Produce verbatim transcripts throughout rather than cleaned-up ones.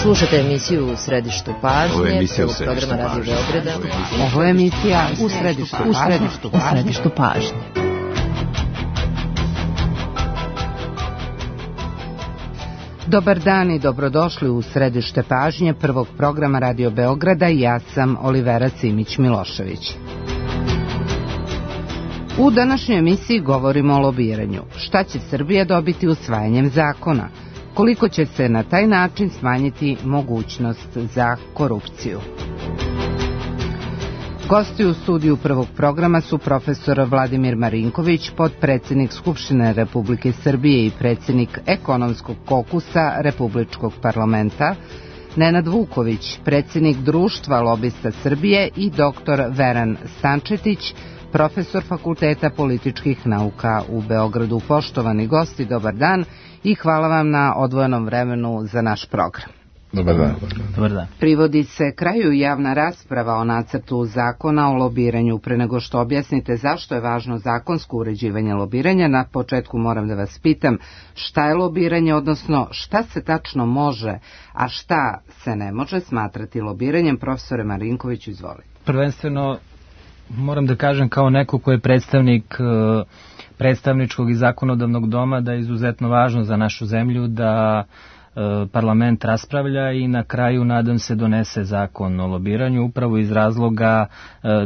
Slušate emisiju U središtu pažnje. Ovo je emisija U središtu programa Radio Beograda. Ovo je emisija U središtu pažnje. U središtu pažnje. Dobar dan i dobrodošli u središte pažnje prvog programa Radio Beograda. Ja sam Olivera Simić-Milošević. U današnjoj emisiji govorimo o lobiranju. Šta će Srbija dobiti usvajanjem zakona? Koliko će se na taj način smanjiti mogućnost za korupciju? Gosti u studiju prvog programa su profesor Vladimir Marinković, potpredsednik Skupštine Republike Srbije i predsednik ekonomskog kokusa Republičkog parlamenta, Nenad Vuković, predsednik Društva lobista Srbije i doktor Veran Stančetić, profesor Fakulteta političkih nauka u Beogradu. Poštovani gosti, dobar dan i hvala vam na odvojenom vremenu za naš program. Dobar dan. Dobar dan. Privodi se kraju javna rasprava o nacrtu zakona o lobiranju. Pre nego što objasnite zašto je važno zakonsko uređivanje lobiranja, na početku moram da vas pitam šta je lobiranje, odnosno šta se tačno može, a šta se ne može smatrati lobiranjem. Profesore Marinkoviću, izvolite. Prvenstveno moram da kažem kao neko ko je predstavnik predstavničkog i zakonodavnog doma da je izuzetno važno za našu zemlju da parlament raspravlja i na kraju, nadam se, donese zakon o lobiranju, upravo iz razloga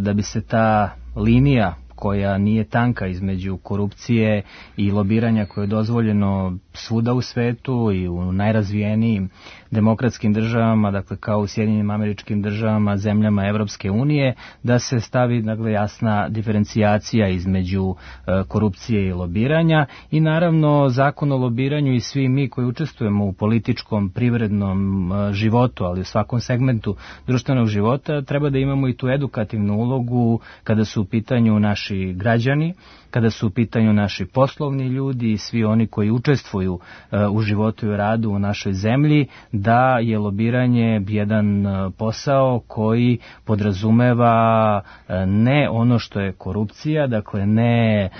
da bi se ta linija koja nije tanka između korupcije i lobiranja koje je dozvoljeno svuda u svetu i u najrazvijenijim demokratskim državama, dakle kao u Sjedinjenim Američkim Državama, zemljama Evropske unije, da se stavi, dakle, jasna diferencijacija između e, korupcije i lobiranja i naravno zakon o lobiranju i svi mi koji učestvujemo u političkom, privrednom e, životu, ali u svakom segmentu društvenog života, treba da imamo i tu edukativnu ulogu kada su u pitanju naši građani, kada su u pitanju naši poslovni ljudi i svi oni koji učestvuju e, u životu i radu u našoj zemlji, da je lobiranje jedan posao koji podrazumeva ne ono što je korupcija, dakle ne e,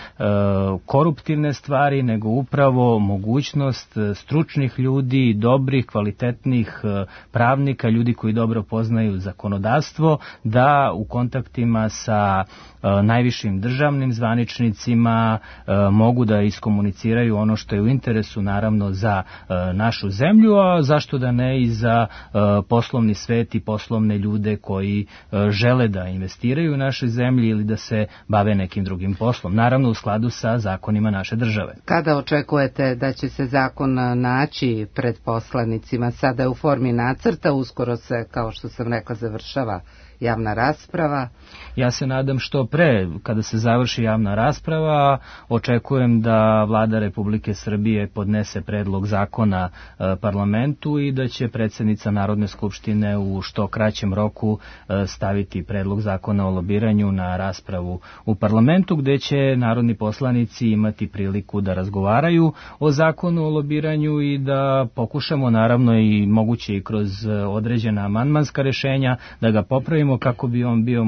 koruptivne stvari, nego upravo mogućnost stručnih ljudi, dobrih, kvalitetnih pravnika, ljudi koji dobro poznaju zakonodavstvo, da u kontaktima sa e, najvišim državnim zvaničnicima e, mogu da iskomuniciraju ono što je u interesu, naravno, za e, našu zemlju, a zašto da ne i za uh, poslovni svet i poslovne ljude koji uh, žele da investiraju u našoj zemlji ili da se bave nekim drugim poslom. Naravno u skladu sa zakonima naše države. Kada očekujete da će se zakon naći pred poslanicima? Sada je u formi nacrta, uskoro se, kao što sam rekla, završava javna rasprava. Ja se nadam što pre, kada se završi javna rasprava, očekujem da Vlada Republike Srbije podnese predlog zakona e, parlamentu i da će predsjednica Narodne skupštine u što kraćem roku e, staviti predlog zakona o lobiranju na raspravu u parlamentu, gde će narodni poslanici imati priliku da razgovaraju o zakonu o lobiranju i da pokušamo, naravno i moguće i kroz određena amandmanska rešenja, da ga popravimo kako bi on bio,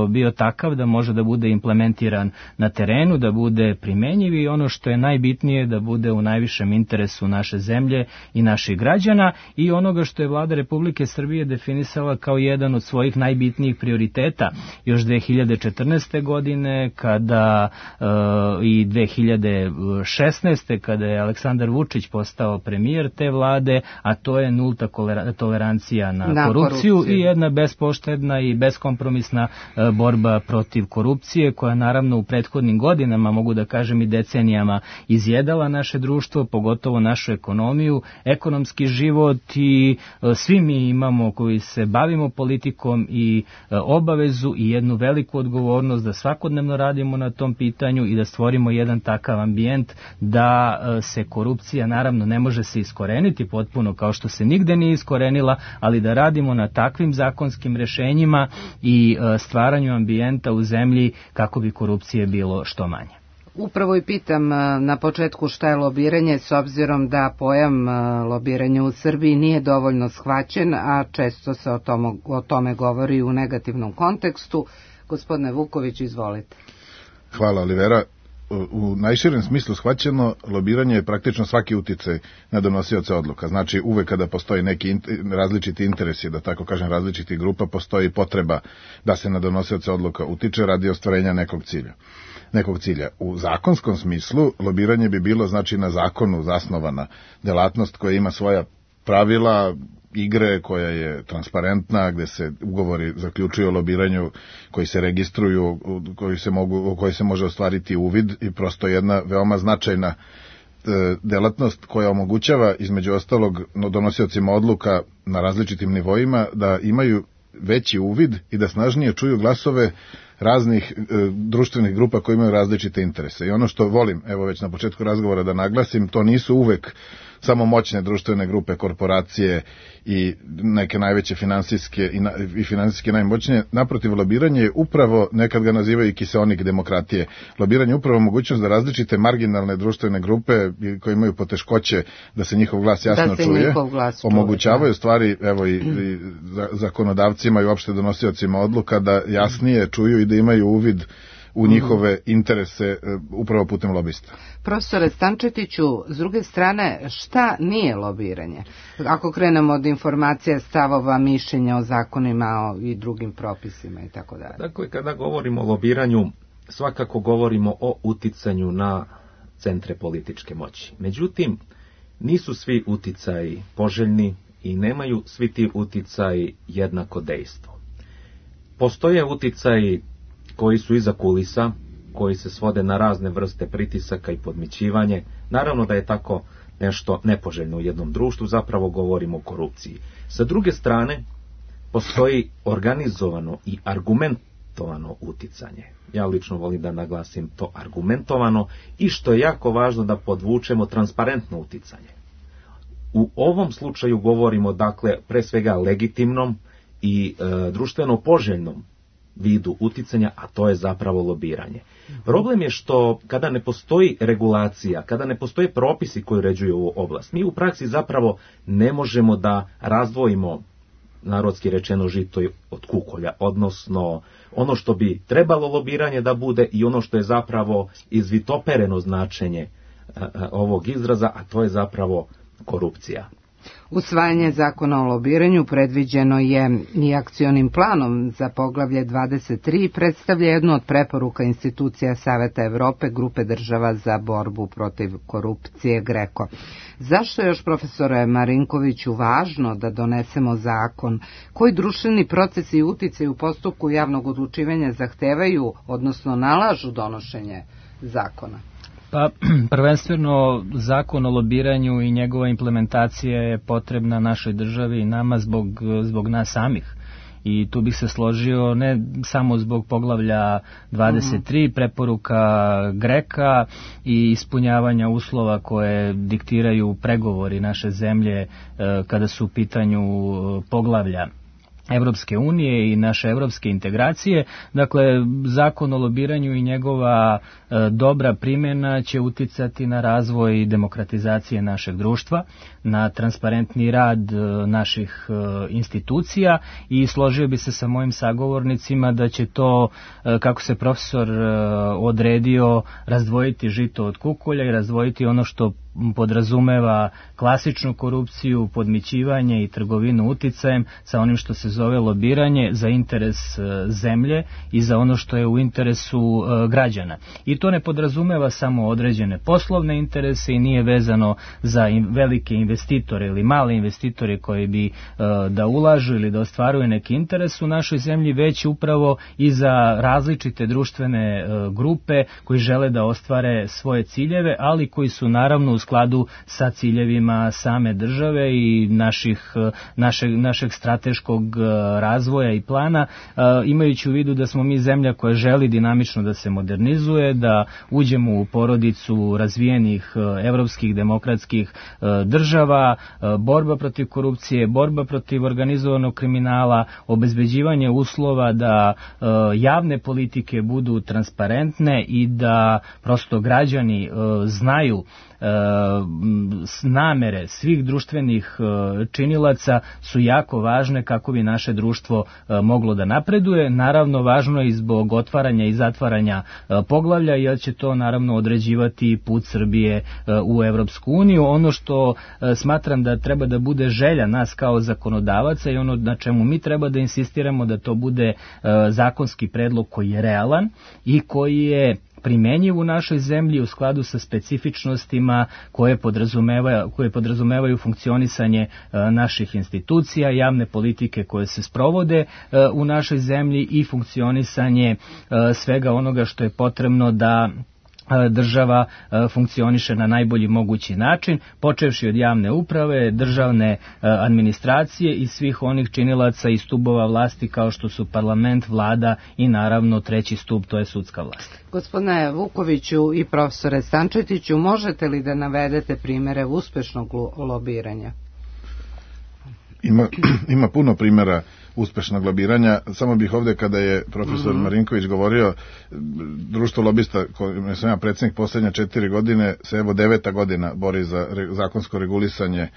bio takav da može da bude implementiran na terenu, da bude primenjiv i ono što je najbitnije, da bude u najvišem interesu naše zemlje i naših građana i onoga što je Vlada Republike Srbije definisala kao jedan od svojih najbitnijih prioriteta još dve hiljade četrnaeste. godine kada e, i dve hiljade šesnaeste. kada je Aleksandar Vučić postao premijer te vlade, a to je nulta tolerancija na, na korupciju, korupciju i jedna bespoštedna i beskompromisna e, borba protiv korupcije, koja naravno u prethodnim godinama, mogu da kažem i decenijama, izjedala naše društvo, pogotovo našu ekonomiju, ekonomski život i e, svi mi imamo koji se bavimo politikom i e, obavezu i jednu veliku odgovornost da svakodnevno radimo na tom pitanju i da stvorimo jedan takav ambijent da e, se korupcija, naravno, ne može se iskoreniti potpuno kao što se nigde nije iskorenila, ali da radimo na takvim zakonskim rešenjima i stvaranju ambijenta u zemlji kako bi korupcije bilo što manje. Upravo i pitam na početku šta je lobiranje, s obzirom da pojam lobiranja u Srbiji nije dovoljno shvaćen, a često se o tome, o tome govori u negativnom kontekstu. Gospodine Vuković, izvolite. Hvala, Olivera. u najširem smislu shvaćeno, lobiranje je praktično svaki uticaj na donosioce odluka. Znači, uvek kada postoji neki različiti interesi, da tako kažem, različitih grupa, postoji potreba da se na donosioce odluka utiče radi ostvarenja nekog cilja. nekog cilja. U zakonskom smislu, lobiranje bi bilo, znači, na zakonu zasnovana delatnost koja ima svoja pravila, igre, koja je transparentna, gde se ugovori zaključuju o lobiranju, koji se registruju, koji se mogu, koji se može ostvariti uvid, i prosto jedna veoma značajna e, delatnost koja omogućava, između ostalog, donosiocima odluka na različitim nivoima da imaju veći uvid i da snažnije čuju glasove raznih e, društvenih grupa koji imaju različite interese. I ono što volim, evo već na početku razgovora da naglasim, to nisu uvek samo moćne društvene grupe, korporacije i neke najveće finansijske i, na, i finansijski najmoćnije. Naprotiv, lobiranje je upravo, nekad ga nazivaju i kiseonik demokratije, lobiranje je upravo mogućnost da različite marginalne društvene grupe koje imaju poteškoće da se njihov glas jasno da čuje, glas omogućavaju stvari, evo i, i zakonodavcima i uopšte donosiocima odluka da jasnije čuju i da imaju uvid u njihove interese upravo putem lobista. Profesore Stančetiću, s druge strane, šta nije lobiranje? Ako krenemo od informacija, stavova, mišljenja o zakonima i drugim propisima i tako dalje. Dakle, kada govorimo o lobiranju, svakako govorimo o uticanju na centre političke moći. Međutim, nisu svi uticaji poželjni i nemaju svi ti uticaji jednako dejstvo. Postoje uticaji koji su iza kulisa, koji se svode na razne vrste pritisaka i podmićivanje. Naravno da je tako nešto nepoželjno u jednom društvu, zapravo govorimo o korupciji. Sa druge strane, postoji organizovano i argumentovano uticanje. Ja lično volim da naglasim to argumentovano i, što je jako važno, da podvučemo transparentno uticanje. U ovom slučaju govorimo, dakle, pre svega legitimnom i e, društveno poželjnom vidu uticanja, a to je zapravo lobiranje. Problem je što kada ne postoji regulacija, kada ne postoje propisi koji uređuju ovu oblast, mi u praksi zapravo ne možemo da razdvojimo, narodski rečeno, žito od kukolja, odnosno ono što bi trebalo lobiranje da bude i ono što je zapravo izvitopereno značenje ovog izraza, a to je zapravo korupcija. Usvajanje zakona o lobiranju predviđeno je i akcionim planom za poglavlje dvadeset tri i predstavlja jednu od preporuka institucija Saveta Evrope, grupe država za borbu protiv korupcije GRECO. Zašto je još, profesore Marinkoviću, važno da donesemo zakon? Koji društveni procesi i uticaj u postupku javnog odlučivanja zahtevaju, odnosno nalažu donošenje zakona? Pa, prvenstveno, zakon o lobiranju i njegova implementacija je potrebna našoj državi i nama zbog, zbog nas samih. I tu bih se složio ne samo zbog poglavlja dvadeset tri, preporuka GRECO-a i ispunjavanja uslova koje diktiraju pregovori naše zemlje kada su u pitanju poglavlja Evropske unije i naše evropske integracije. Dakle, zakon o lobiranju i njegova e, dobra primjena će uticati na razvoj demokratizacije našeg društva, na transparentni rad e, naših e, institucija, i složio bi se sa mojim sagovornicima da će to, e, kako se profesor e, odredio, razdvojiti žito od kukolja i razdvojiti ono što podrazumeva klasičnu korupciju, podmićivanje i trgovinu uticajem sa onim što se zove lobiranje za interes zemlje i za ono što je u interesu građana. I to ne podrazumeva samo određene poslovne interese i nije vezano za velike investitore ili male investitore koji bi da ulažu ili da ostvaruju neki interes u našoj zemlji, već upravo i za različite društvene grupe koji žele da ostvare svoje ciljeve, ali koji su naravno u skladu sa ciljevima same države i naših, našeg, našeg strateškog razvoja i plana, imajući u vidu da smo mi zemlja koja želi dinamično da se modernizuje, da uđemo u porodicu razvijenih evropskih demokratskih država, borba protiv korupcije, borba protiv organizovanog kriminala, obezbeđivanje uslova da javne politike budu transparentne i da prosto građani znaju namere svih društvenih činilaca su jako važne kako bi naše društvo moglo da napreduje. Naravno, važno je i zbog otvaranja i zatvaranja poglavlja, jer će to naravno određivati put Srbije u Evropsku uniju. Ono što smatram da treba da bude želja nas kao zakonodavaca i ono na čemu mi treba da insistiramo, da to bude zakonski predlog koji je realan i koji je primenjiv u našoj zemlji u skladu sa specifičnostima koje podrazumevaju, koje podrazumevaju funkcionisanje naših institucija, javne politike koje se sprovode u našoj zemlji i funkcionisanje svega onoga što je potrebno da država funkcioniše na najbolji mogući način, počevši od javne uprave, državne administracije i svih onih činilaca i stubova vlasti kao što su parlament, vlada i naravno treći stub, to je sudska vlast. Gospodine Vukoviću i profesore Stančetiću, možete li da navedete primere uspešnog lobiranja? Ima, ima puno primjera uspešnog lobiranja. Samo bih ovdje, kada je profesor mm-hmm. Marinković govorio, društvo lobista, kojim sam ja predsjednik posljednje četiri godine, se evo deveta godina bori za re, zakonsko regulisanje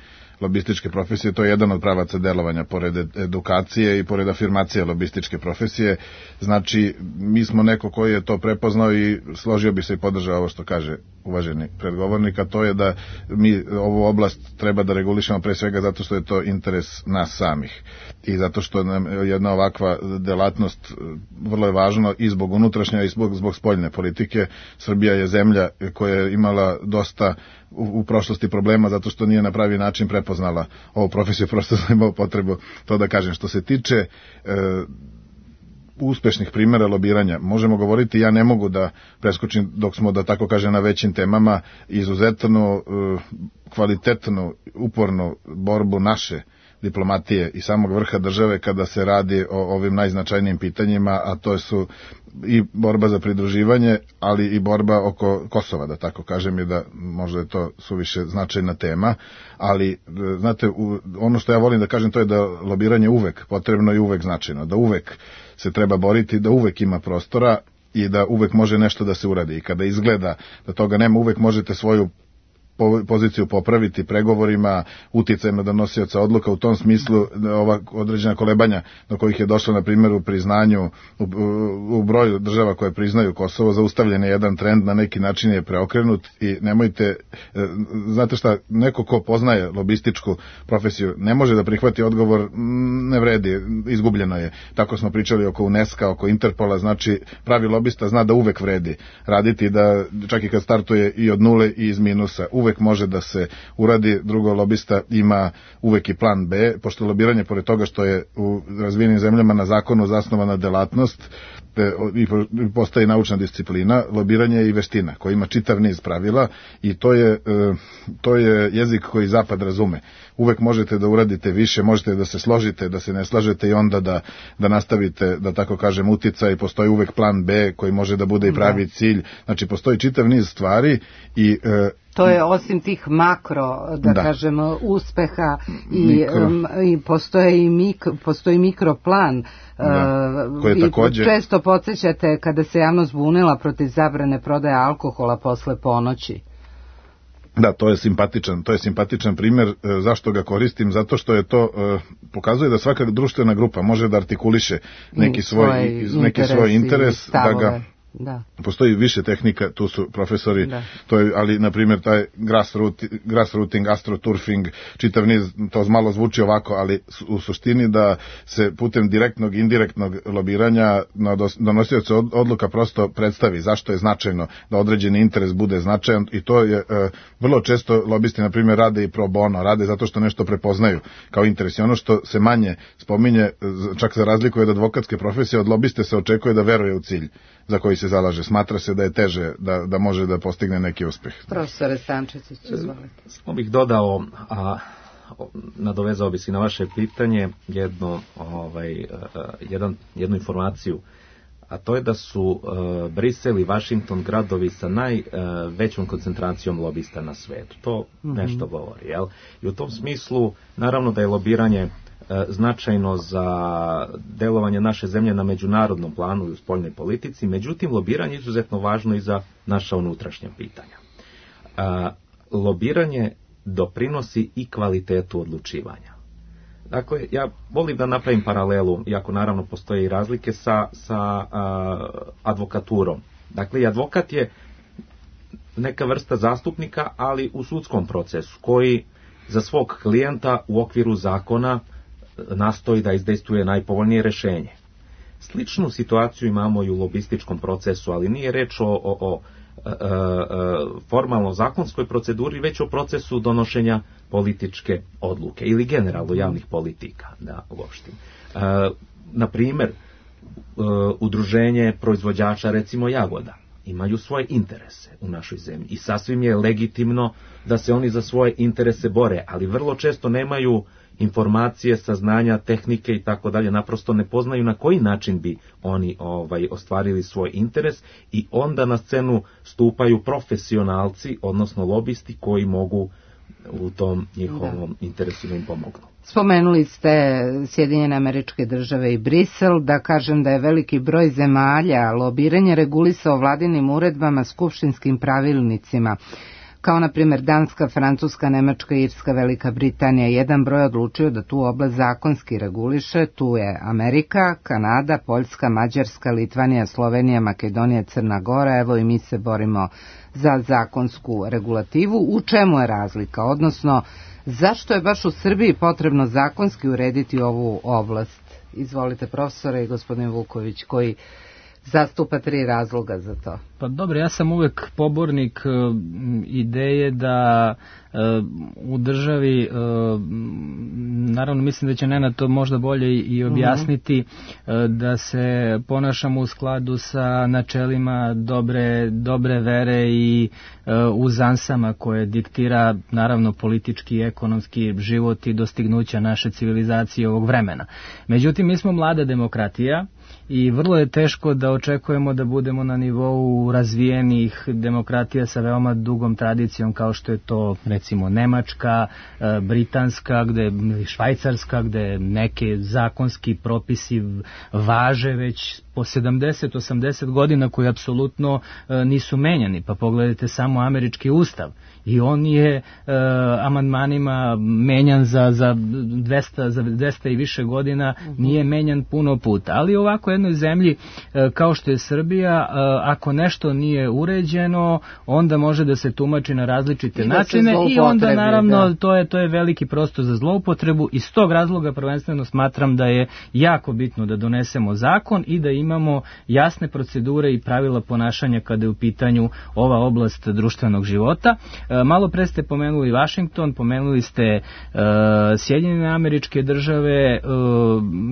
lobističke profesije. To je jedan od pravaca delovanja, pored edukacije i pored afirmacije lobističke profesije. Znači, mi smo neko koji je to prepoznao i složio bi se i podržao ovo što kaže uvaženi predgovornik, a to je da mi ovu oblast treba da regulišemo pre svega zato što je to interes nas samih i zato što nam jedna ovakva delatnost vrlo je važno i zbog unutrašnje i zbog, zbog spoljne politike. Srbija je zemlja koja je imala dosta u, u prošlosti problema zato što nije na pravi način prepoznala ovu profesiju, prosto sam imao potrebu to da kažem. Što se tiče e, uspešnih primjera lobiranja, možemo govoriti, ja ne mogu da preskočim dok smo, da tako kažem, na većim temama, izuzetno e, kvalitetnu, upornu borbu naše diplomatije i samog vrha države kada se radi o ovim najznačajnijim pitanjima, a to su i borba za pridruživanje, ali i borba oko Kosova, da tako kažem, i da možda je to suviše značajna tema, ali znate, ono što ja volim da kažem, to je da lobiranje uvek potrebno i uvek značajno, da uvek se treba boriti, da uvek ima prostora i da uvek može nešto da se uradi. I kada izgleda da toga nema, uvek možete svoju poziciju popraviti pregovorima, uticajem na donosioca odluka. U tom smislu ova određena kolebanja do kojih je došlo, na primjer, u priznanju, u, u broju država koje priznaju Kosovo, zaustavljen je jedan trend, na neki način je preokrenut i nemojte, znate šta, neko ko poznaje lobističku profesiju ne može da prihvati odgovor ne vredi, izgubljeno je. Tako smo pričali oko UNESCO, oko Interpola, znači pravi lobista zna da uvek vredi raditi, da čak i kad startuje i od nule i iz minusa, uvek može da se uradi. Drugo, lobista ima uvek i plan B, pošto lobiranje, pored toga što je u razvijenim zemljama na zakonu zasnovana delatnost i postaje naučna disciplina, lobiranje je i veština koja ima čitav niz pravila i to je, to je jezik koji zapad razume. Uvek možete da uradite više, možete da se složite, da se ne slažete i onda da, da nastavite, da tako kažem, uticaj. Postoji uvek plan B koji može da bude i pravi cilj. Znači, postoji čitav niz stvari i to je osim tih makro, da, da. kažem, uspeha i, mikro. i postoji i mikro, postoji mikroplan. Da, koje i također često podsjećate kada se javnost bunila protiv zabrane prodaje alkohola posle ponoći. Da, to je simpatičan, to je simpatičan primjer. Zašto ga koristim? Zato što je to pokazuje da svaka društvena grupa može da artikuliše neki svoj, svoj neki svoj interes, da ga Da. Postoji više tehnika, tu su profesori, da. To je, ali na primjer taj grassrooting, grassrooting, astroturfing, čitav niz, to malo zvuči ovako, ali u suštini da se putem direktnog, indirektnog lobiranja na donosioce odluka prosto predstavi zašto je značajno da određeni interes bude značajan i to je e, vrlo često lobisti na primjer rade i pro bono, rade zato što nešto prepoznaju kao interes i ono što se manje spominje, čak za razliku od advokatske profesije, od lobiste se očekuje da veruje u cilj za koji se zalaže. Smatra se da je teže da, da može da postigne neki uspeh. Profesore Stančetić, izvolite. Samo bih dodao, a, nadovezao bi se na vaše pitanje jedno, ovaj, jedan, jednu informaciju, a to je da su uh, Brisel i Washington gradovi sa najvećom uh, koncentracijom lobista na svetu. To mm-hmm. nešto govori, jel? I u tom smislu, naravno da je lobiranje značajno za delovanje naše zemlje na međunarodnom planu i u spoljnoj politici, međutim lobiranje je izuzetno važno i za naša unutrašnja pitanja. lobiranje doprinosi i kvalitetu odlučivanja. Dakle, ja volim da napravim paralelu, iako naravno postoje i razlike, sa, sa a, advokaturom. Dakle, i advokat je neka vrsta zastupnika, ali u sudskom procesu, koji za svog klijenta u okviru zakona nastoji da izdejstvuje najpovoljnije rješenje. Sličnu situaciju imamo i u lobističkom procesu, ali nije reč o, o, o e, e, formalno zakonskoj proceduri, već o procesu donošenja političke odluke ili generalno javnih politika, da uopštim. E, na primjer, e, udruženje proizvođača, recimo jagoda, imaju svoje interese u našoj zemlji i sasvim je legitimno da se oni za svoje interese bore, ali vrlo često nemaju informacije, saznanja, tehnike i tako dalje, naprosto ne poznaju na koji način bi oni ovaj ostvarili svoj interes i onda na scenu stupaju profesionalci, odnosno lobisti koji mogu u tom njihovom da. interesu da im pomognu. Spomenuli ste Sjedinjene Američke Države i Brisel, da kažem da je veliki broj zemalja lobiranje regulisao vladinim uredbama, skupštinskim pravilnicima, kao na primjer Danska, Francuska, Nemačka, Irska, Velika Britanija. Jedan broj odlučio da tu oblast zakonski reguliše, tu je Amerika, Kanada, Poljska, Mađarska, Litvanija, Slovenija, Makedonija, Crna Gora, evo i mi se borimo za zakonsku regulativu. U čemu je razlika, odnosno zašto je baš u Srbiji potrebno zakonski urediti ovu oblast? Izvolite, profesore, i gospodin Vuković, koji zastupa tri razloga za to. Pa dobro, ja sam uvek pobornik uh, ideje da uh, u državi, uh, naravno mislim da će Nenad to možda bolje i objasniti, uh-huh. uh, da se ponašamo u skladu sa načelima dobre, dobre vere i uh, uzansama koje diktira naravno politički i ekonomski život i dostignuća naše civilizacije ovog vremena. Međutim, mi smo mlada demokratija i vrlo je teško da očekujemo da budemo na nivou razvijenih demokratija sa veoma dugom tradicijom kao što je to recimo Nemačka, Britanska, gde, Švajcarska, gde neke zakonski propisi važe već po sedamdeset osamdeset godina koji apsolutno e, nisu menjani. Pa pogledajte samo američki ustav i on je e, amandmanima menjan za, za, dvesta, za dvesta i više godina, nije menjan puno puta. Ali ovako jednoj zemlji e, kao što je Srbija, e, ako nešto nije uređeno, onda može da se tumači na različite I načine i onda naravno da. to je to je veliki prostor za zloupotrebu. Iz tog razloga prvenstveno smatram da je jako bitno da donesemo zakon i da imamo jasne procedure i pravila ponašanja kada je u pitanju ova oblast društvenog života. E, malo pre ste pomenuli Washington, pomenuli ste e, Sjedinjene Američke Države. E,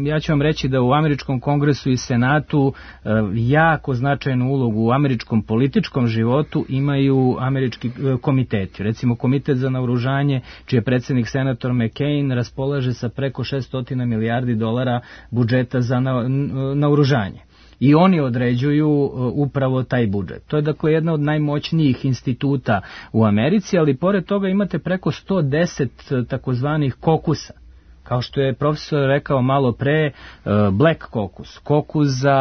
ja ću vam reći da u Američkom kongresu i Senatu e, jako značajnu ulogu u američkom političkom životu imaju američki e, komiteti. Recimo komitet za naoružanje, čiji je predsjednik senator McCain, raspolaže sa preko šesto milijardi dolara budžeta za na, naoružanje. I oni određuju upravo taj budžet. To je dakle jedna od najmoćnijih instituta u Americi, ali pored toga imate preko sto deset takozvanih kokusa. Kao što je profesor rekao malo pre, Black Caucus, kokus za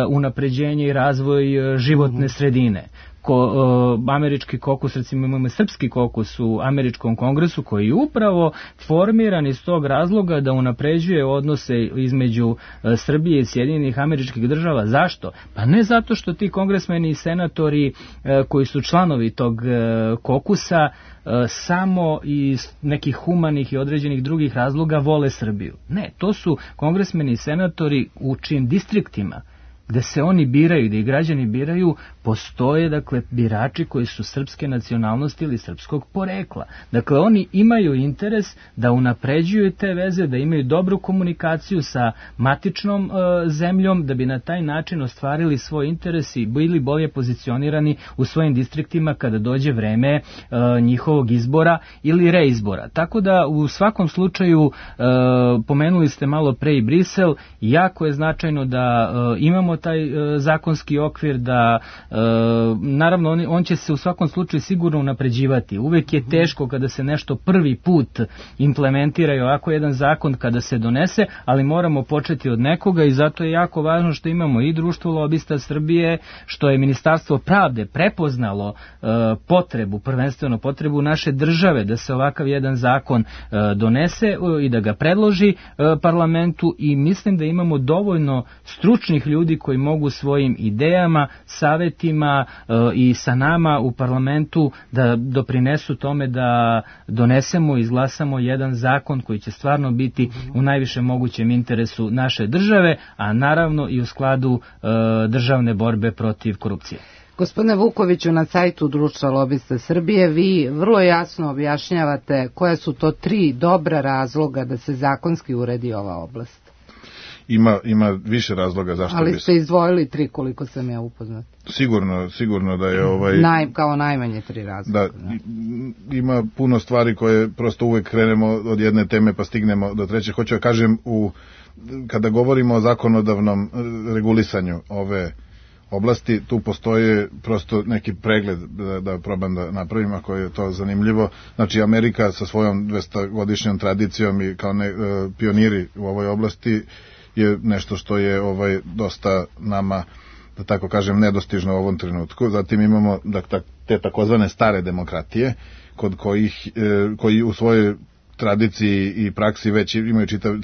unapređenje i razvoj životne sredine. Ko, uh, američki kokus, recimo imamo srpski kokus u američkom kongresu koji je upravo formiran iz tog razloga da unapređuje odnose između uh, Srbije i Sjedinjenih Američkih Država. Zašto? Pa ne zato što ti kongresmeni i senatori uh, koji su članovi tog uh, kokusa uh, samo iz nekih humanih i određenih drugih razloga vole Srbiju. Ne, to su kongresmeni i senatori u čijim distriktima gde se oni biraju, gde i građani biraju, postoje, dakle, birači koji su srpske nacionalnosti ili srpskog porekla. Dakle, oni imaju interes da unapređuju te veze, da imaju dobru komunikaciju sa matičnom e, zemljom, da bi na taj način ostvarili svoj interes i bili bolje pozicionirani u svojim distriktima kada dođe vreme e, njihovog izbora ili reizbora. Tako da, u svakom slučaju, e, pomenuli ste malo pre i Brisel, jako je značajno da e, imamo taj e, zakonski okvir, da e, naravno on, on će se u svakom slučaju sigurno unapređivati. Uvek je teško kada se nešto prvi put implementira i ovako jedan zakon kada se donese, ali moramo početi od nekoga i zato je jako važno što imamo i Društvo lobista Srbije, što je Ministarstvo pravde prepoznalo e, potrebu, prvenstveno potrebu naše države da se ovakav jedan zakon e, donese e, i da ga predloži e, parlamentu, i mislim da imamo dovoljno stručnih ljudi koji mogu svojim idejama, savetima e, i sa nama u parlamentu da doprinesu tome da donesemo i izglasamo jedan zakon koji će stvarno biti u najviše mogućem interesu naše države, a naravno i u skladu e, državne borbe protiv korupcije. Gospodine Vukoviću, na sajtu Društva lobista Srbije vi vrlo jasno objašnjavate koje su to tri dobra razloga da se zakonski uredi ova oblast. Ima, ima više razloga zašto Ali bi... ste izdvojili tri, koliko sam ja upoznat. Sigurno, sigurno da je ovaj... Naj, kao najmanje tri razloga. Da, da, ima puno stvari koje prosto uvek krenemo od jedne teme pa stignemo do treće. Hoću da kažem, u, kada govorimo o zakonodavnom regulisanju ove oblasti, tu postoje prosto neki pregled da, da probam da napravim ako je to zanimljivo. Znači, Amerika sa svojom dvestogodišnjom tradicijom i kao ne, e, pioniri u ovoj oblasti je nešto što je ovaj dosta nama, da tako kažem, nedostižno u ovom trenutku. Zatim imamo da, te takozvane stare demokratije kod kojih e, koji u svojoj tradiciji i praksi već imaju čitav,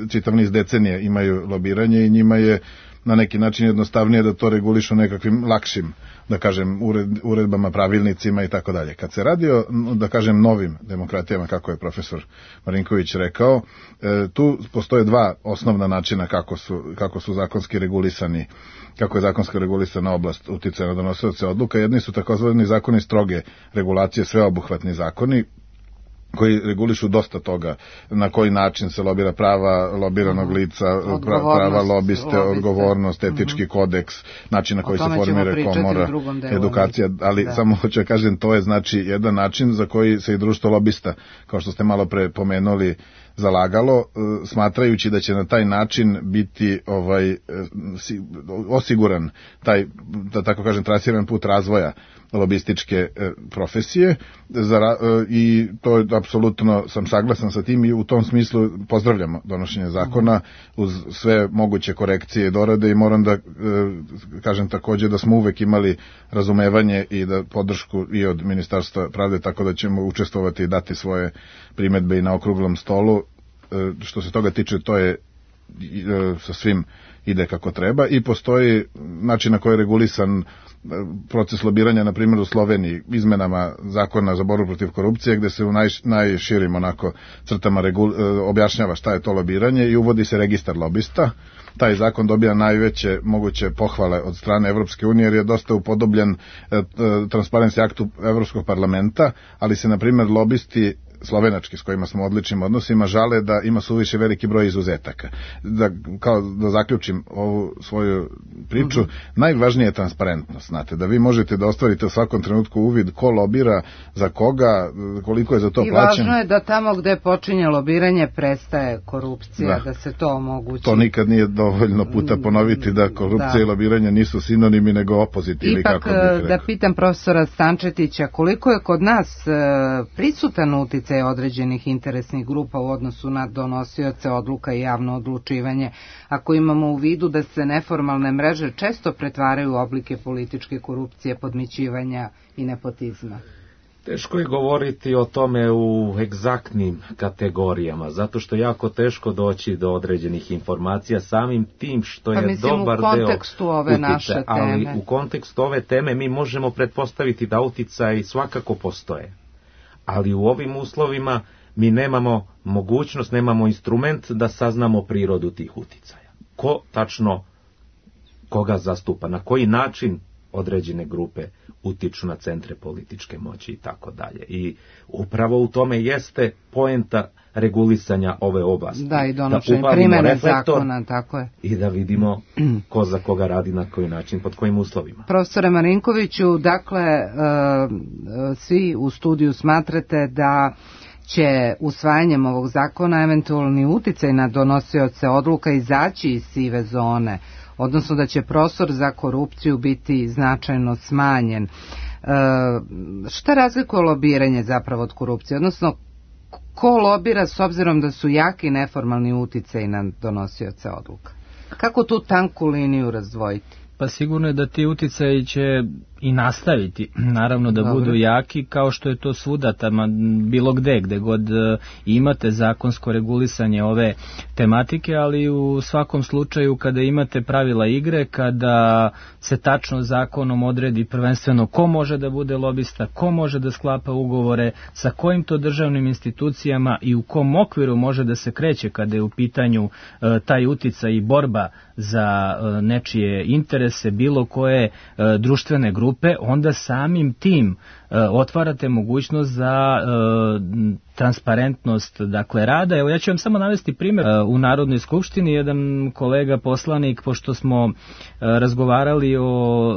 čitav niz decenije imaju lobiranje i njima je na neki način jednostavnije da to regulišu nekakvim lakšim, da kažem, ured, uredbama, pravilnicima i tako dalje. Kad se radi o, da kažem, novim demokratijama, kako je profesor Marinković rekao, e, tu postoje dva osnovna načina kako su, kako su zakonski regulisani, kako je zakonski regulisana oblast uticaja na donosioce odluka. Jedni su takozvani zakoni stroge regulacije, sveobuhvatni zakoni, koji regulišu dosta toga, na koji način se lobira prava lobiranog lica, prava lobiste, lobiste, odgovornost, etički kodeks, način na koji se formira komora, edukacija, ali da. Samo hoću da kažem, to je znači jedan način za koji se i Društvo lobista, kao što ste malo pre pomenuli, zalagalo, smatrajući da će na taj način biti ovaj osiguran taj, da tako kažem, trasiran put razvoja lobističke profesije i to je apsolutno, sam saglasan sa tim i u tom smislu pozdravljamo donošenje zakona uz sve moguće korekcije i dorade i moram da kažem takođe da smo uvek imali razumevanje i da podršku i od Ministarstva pravde, tako da ćemo učestvovati i dati svoje primedbe i na okruglom stolu. Što se toga tiče, to je sa svim ide kako treba i postoji način na koji je regulisan proces lobiranja, na primjer u Sloveniji, izmenama zakona za borbu protiv korupcije, gde se u naj, najširim onako crtama regul, objašnjava šta je to lobiranje i uvodi se registar lobista. Taj zakon dobija najveće moguće pohvale od strane Evropske unije jer je dosta upodobljen e, e, Transparency Aktu Evropskog parlamenta, ali se, na primjer, lobisti slovenački s kojima smo u odličnim odnosima žale da ima suviše veliki broj izuzetaka. Da, kao da zaključim ovu svoju priču, mm-hmm. najvažnije je transparentnost, znate, da vi možete da ostvarite u svakom trenutku uvid ko lobira, za koga, koliko je za to I plaćen. I važno je da tamo gde počinje lobiranje prestaje korupcija, da, da se to omogući. To nikad nije dovoljno puta ponoviti da korupcija da. i lobiranje nisu sinonimi nego opozit. Ili Ipak, kako bih rekao. Da pitam profesora Stančetića, koliko je kod nas e, prisutan uticaj određenih interesnih grupa u odnosu na donosioce odluka i javno odlučivanje, ako imamo u vidu da se neformalne mreže često pretvaraju u oblike političke korupcije, podmićivanja i nepotizma? Teško je govoriti o tome u egzaktnim kategorijama, zato što je jako teško doći do određenih informacija samim tim što je pa mislim, dobar u kontekstu deo ove utice, naše teme. Ali u kontekstu ove teme mi možemo pretpostaviti da uticaji svakako postoje. Ali u ovim uslovima mi nemamo mogućnost, nemamo instrument da saznamo prirodu tih uticaja. Ko tačno koga zastupa, na koji način određene grupe utiču na centre političke moći i tako dalje. I upravo u tome jeste poenta regulisanja ove oblasti. Da, i donošenje primjene zakona, tako je. I da vidimo ko za koga radi, na koji način, pod kojim uslovima. Profesore Marinkoviću, dakle, svi u studiju smatrate da će usvajanjem ovog zakona eventualni uticaj na donosioce odluka izaći iz sive zone odnosno da će prostor za korupciju biti značajno smanjen. E, šta razlikuje lobiranje zapravo od korupcije, odnosno ko lobira s obzirom da su jaki neformalni uticaj na donosioce odluka? Kako tu tanku liniju razdvojiti? Pa sigurno je da ti uticaji će i nastaviti, naravno da Dobre. budu jaki, kao što je to svuda, tamo, bilo gde, gde god imate zakonsko regulisanje ove tematike, ali u svakom slučaju kada imate pravila igre, kada se tačno zakonom odredi prvenstveno ko može da bude lobista, ko može da sklapa ugovore, sa kojim to državnim institucijama i u kom okviru može da se kreće kada je u pitanju e, taj uticaj i borba za e, nečije interese, bilo koje e, društvene grupe, onda samim tim e, otvarate mogućnost za e, transparentnost, dakle, rada. Evo, ja ću vam samo navesti primjer. E, u Narodnoj skupštini jedan kolega poslanik, pošto smo e, razgovarali o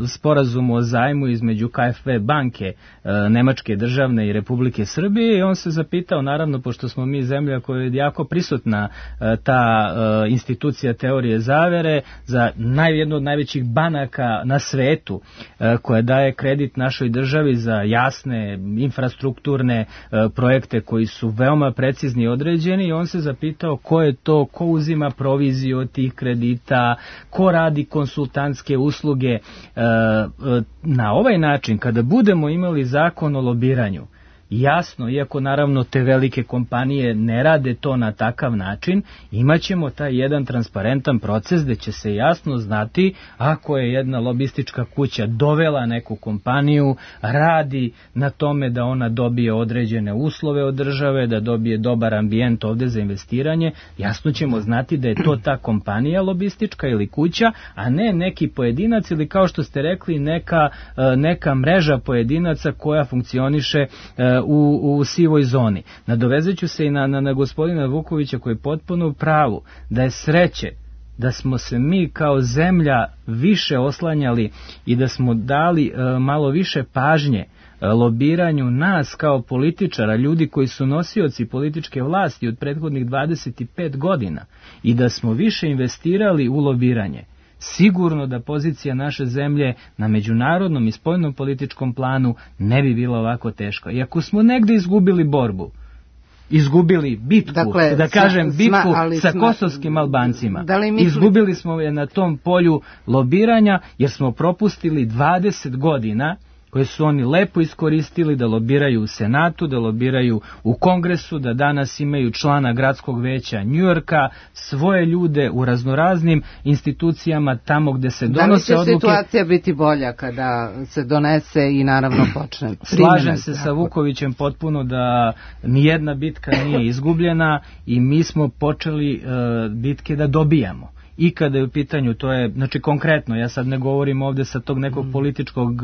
e, sporazumu o zajmu između K F W banke, e, Nemačke državne i Republike Srbije, i on se zapitao, naravno, pošto smo mi zemlja koja je jako prisutna, e, ta e, institucija teorije zavere, za naj, jednu od najvećih banaka na svetu, e, koja daje kredit našoj državi za jasne infrastrukturne e, projekte koji su veoma precizni i određeni, i on se zapitao ko je to, ko uzima proviziju od tih kredita, ko radi konsultantske usluge. E, na ovaj način, kada budemo imali zakon o lobiranju, jasno, iako naravno te velike kompanije ne rade to na takav način, imaćemo taj jedan transparentan proces gde će se jasno znati ako je jedna lobistička kuća dovela neku kompaniju, radi na tome da ona dobije određene uslove od države, da dobije dobar ambijent ovde za investiranje, jasno ćemo znati da je to ta kompanija lobistička ili kuća, a ne neki pojedinac ili, kao što ste rekli, neka, neka mreža pojedinaca koja funkcioniše U, u sivoj zoni. Nadovezaću se i na, na, na gospodina Vukovića, koji je potpuno u pravu da je sreće da smo se mi kao zemlja više oslanjali i da smo dali e, malo više pažnje e, lobiranju nas kao političara, ljudi koji su nosioci političke vlasti od prethodnih dvadeset pet godina, i da smo više investirali u lobiranje. Sigurno da pozicija naše zemlje na međunarodnom i spoljnom političkom planu ne bi bila ovako teška. I ako smo negde izgubili borbu, izgubili bitku, dakle, da kažem bitku sma, sa sma, kosovskim Albancima, misli... izgubili smo je na tom polju lobiranja, jer smo propustili dvadeset godina koje su oni lepo iskoristili da lobiraju u Senatu, da lobiraju u Kongresu, da danas imaju člana gradskog veća Njujorka, svoje ljude u raznoraznim institucijama tamo gde se donose odluke. Da li će situacija biti bolja kada se donese i naravno počne? Slažem se sa Vukovićem potpuno da nijedna bitka nije izgubljena i mi smo počeli uh, bitke da dobijamo. I kada je u pitanju, to je, znači konkretno, ja sad ne govorim ovde sa tog nekog političkog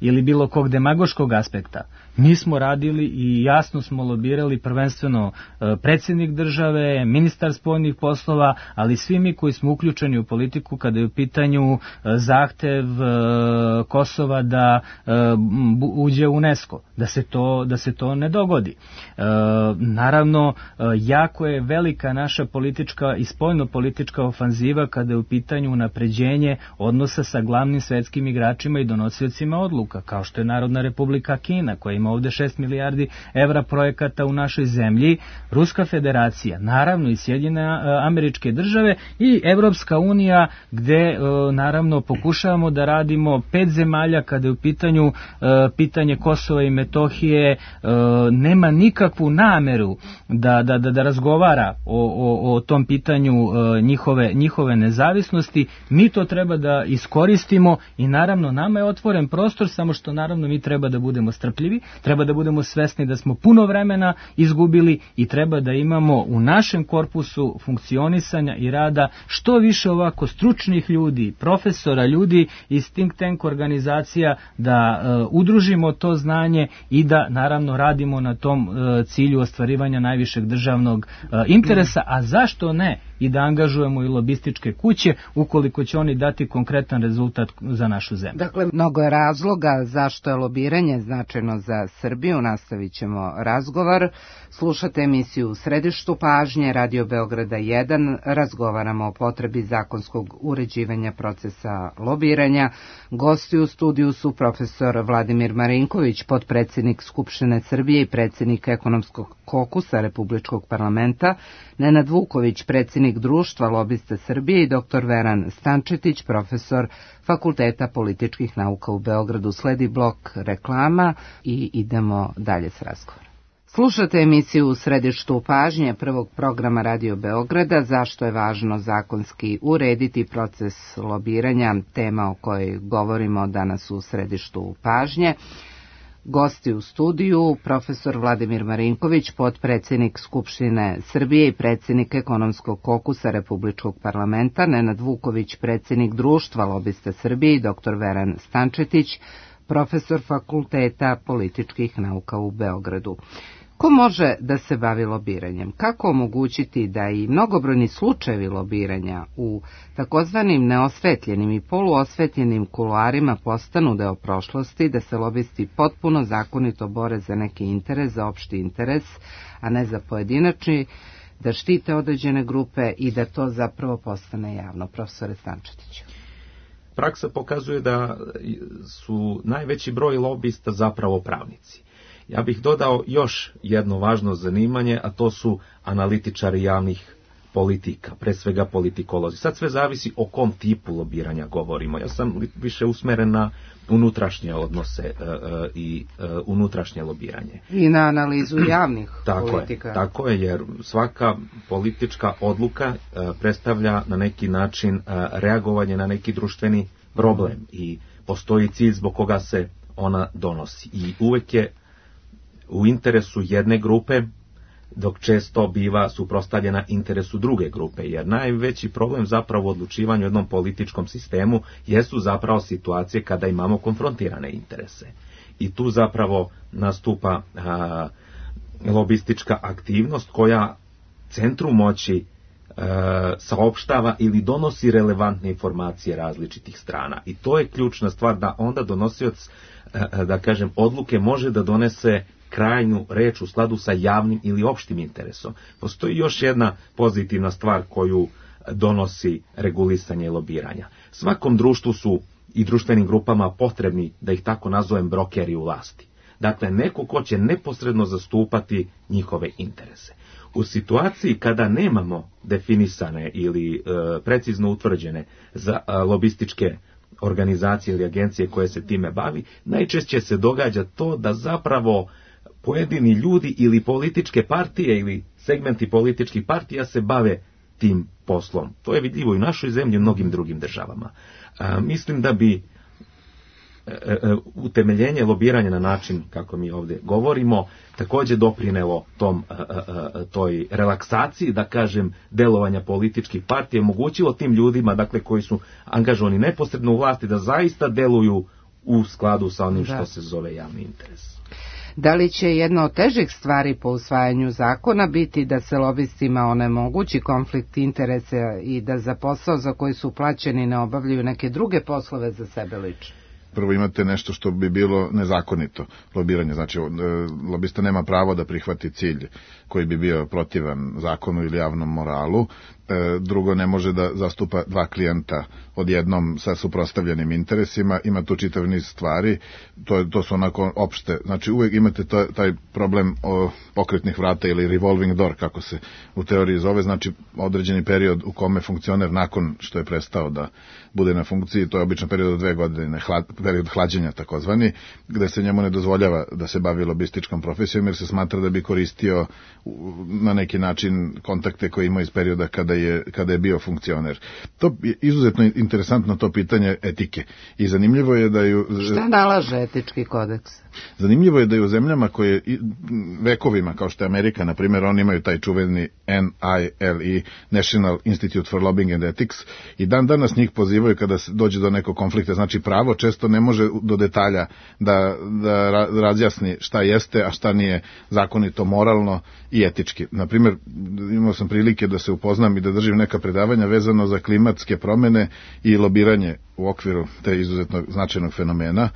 ili bilo kog demagoškog aspekta. Mi smo radili i jasno smo lobirali prvenstveno predsjednik države, ministar spoljnih poslova, ali svi mi koji smo uključeni u politiku kada je u pitanju zahtev Kosova da uđe u UNESCO, da se to, da se to ne dogodi. Naravno, jako je velika naša politička i spoljno politička ofanziva kada je u pitanju unapređenje odnosa sa glavnim svetskim igračima i donosiocima odluka, kao što je Narodna Republika Kina, koja ima ovde šest milijardi evra projekata u našoj zemlji, Ruska federacija, naravno i Sjedinjene Američke Države i Evropska unija, gde naravno pokušavamo da radimo pet zemalja kada je u pitanju pitanje Kosova i Metohije, nema nikakvu nameru da, da, da, da razgovara o, o, o tom pitanju njihove, njihove nezavisnosti. Mi to treba da iskoristimo i naravno nama je otvoren prostor, samo što naravno mi treba da budemo strpljivi, treba da budemo svesni da smo puno vremena izgubili i treba da imamo u našem korpusu funkcionisanja i rada što više ovako stručnih ljudi, profesora, ljudi iz think tank organizacija, da uh, udružimo to znanje i da naravno radimo na tom uh, cilju ostvarivanja najvišeg državnog uh, interesa, a zašto ne i da angažujemo i lobističke kuće ukoliko će oni dati konkretan rezultat za našu zemlju. Dakle, mnogo je razloga zašto je lobiranje značajno za Srbiju. Nastavit ćemo razgovor. Slušate emisiju U središtu pažnje Radio Beograda jedan. Razgovaramo o potrebi zakonskog uređivanja procesa lobiranja. Gosti u studiju su profesor Vladimir Marinković, potpredsednik Skupštine Srbije i predsednik Ekonomskog kokusa Republičkog parlamenta, Nenad Vuković, predsednik Društva lobista Srbije i doktor Veran Stančetić, profesor Fakulteta političkih nauka u Beogradu. Sledi blok reklama i idemo dalje s razgovorom. Slušate emisiju U središtu pažnje prvog programa Radio Beograda. Zašto je važno zakonski urediti proces lobiranja, tema o kojoj govorimo danas u središtu pažnje. Gosti u studiju, profesor Vladimir Marinković, potpredsednik Skupštine Srbije i predsednik Ekonomskog kokusa Republičkog parlamenta, Nenad Vuković, predsednik Društva lobista Srbije i doktor Veran Stančetić, profesor Fakulteta političkih nauka u Beogradu. Ko može da se bavi lobiranjem? Kako omogućiti da i mnogobrojni slučajevi lobiranja u takozvanim neosvetljenim i poluosvetljenim kuloarima postanu deo prošlosti, da se lobisti potpuno zakonito bore za neki interes, za opšti interes, a ne za pojedinačni, da štite određene grupe i da to zapravo postane javno? Profesore Stančetiću. Praksa pokazuje da su najveći broj lobista zapravo pravnici. Ja bih dodao još jedno važno zanimanje, a to su analitičari javnih politika, pre svega politikolozi. Sad sve zavisi o kom tipu lobiranja govorimo. Ja sam više usmeren na unutrašnje odnose e, e, i e, unutrašnje lobiranje. I na analizu javnih tako politika. Je, tako je, jer svaka politička odluka e, predstavlja na neki način e, reagovanje na neki društveni problem i postoji cilj zbog koga se ona donosi. I uvek je u interesu jedne grupe, dok često biva suprotstavljena interesu druge grupe, jer najveći problem zapravo u odlučivanju u jednom političkom sistemu jesu zapravo situacije kada imamo konfrontirane interese. I tu zapravo nastupa a, lobistička aktivnost koja centru moći a, saopštava ili donosi relevantne informacije različitih strana. I to je ključna stvar, da onda donosioc, a, da kažem, odluke može da donese krajnju reč u skladu sa javnim ili opštim interesom. Postoji još jedna pozitivna stvar koju donosi regulisanje lobiranja. Svakom društvu su i društvenim grupama potrebni, da ih tako nazovem, brokeri u vlasti. Dakle, neko ko će neposredno zastupati njihove interese. U situaciji kada nemamo definisane ili e, precizno utvrđene za e, lobističke organizacije ili agencije koje se time bavi, najčešće se događa to da zapravo pojedini ljudi ili političke partije ili segmenti političkih partija se bave tim poslom. To je vidljivo i u našoj zemlji i u mnogim drugim državama. A, mislim da bi e, e, utemeljenje lobiranja na način kako mi ovdje govorimo također doprinelo tom, e, e, toj relaksaciji, da kažem, delovanja političkih partija, omogućilo tim ljudima, dakle, koji su angažovani neposredno u vlasti, da zaista deluju u skladu sa onim što se zove javni interes. Da li će jedna od težih stvari po usvajanju zakona biti da se lobistima onemogući konflikt interesa i da za posao za koji su plaćeni ne obavljaju neke druge poslove za sebe lično? Prvo imate nešto što bi bilo nezakonito, lobiranje. Znači, lobista nema pravo da prihvati cilj koji bi bio protivan zakonu ili javnom moralu. Drugo, ne može da zastupa dva klijenta odjednom sa suprotstavljenim interesima. Ima tu čitav niz stvari, to, to su onako opšte. Znači, uvek imate to, taj problem o pokretnih vrata ili revolving door, kako se u teoriji zove. Znači, određeni period u kome funkcioner nakon što je prestao da bude na funkciji, to je obično period od dve godine, hlad, period hlađenja takozvani, gde se njemu ne dozvoljava da se bavi lobističkom profesijom, jer se smatra da bi koristio na neki način kontakte koje ima iz perioda kada je, kada je bio funkcioner. To je izuzetno interesantno, to pitanje etike. I zanimljivo je da ju... Šta nalaže etički kodeks? Zanimljivo je da je u zemljama koje vekovima, kao što je Amerika, na primjer, oni imaju taj čuveni N I L E, National Institute for Lobbying and Ethics, i dan danas njih pozivaju kada se dođe do nekog konflikta. Znači, pravo često ne može do detalja da, da razjasni šta jeste, a šta nije zakonito, moralno i etički. Naprimjer, imao sam prilike da se upoznam i da držim neka predavanja vezano za klimatske promene i lobiranje u okviru te izuzetno značajnog fenomena.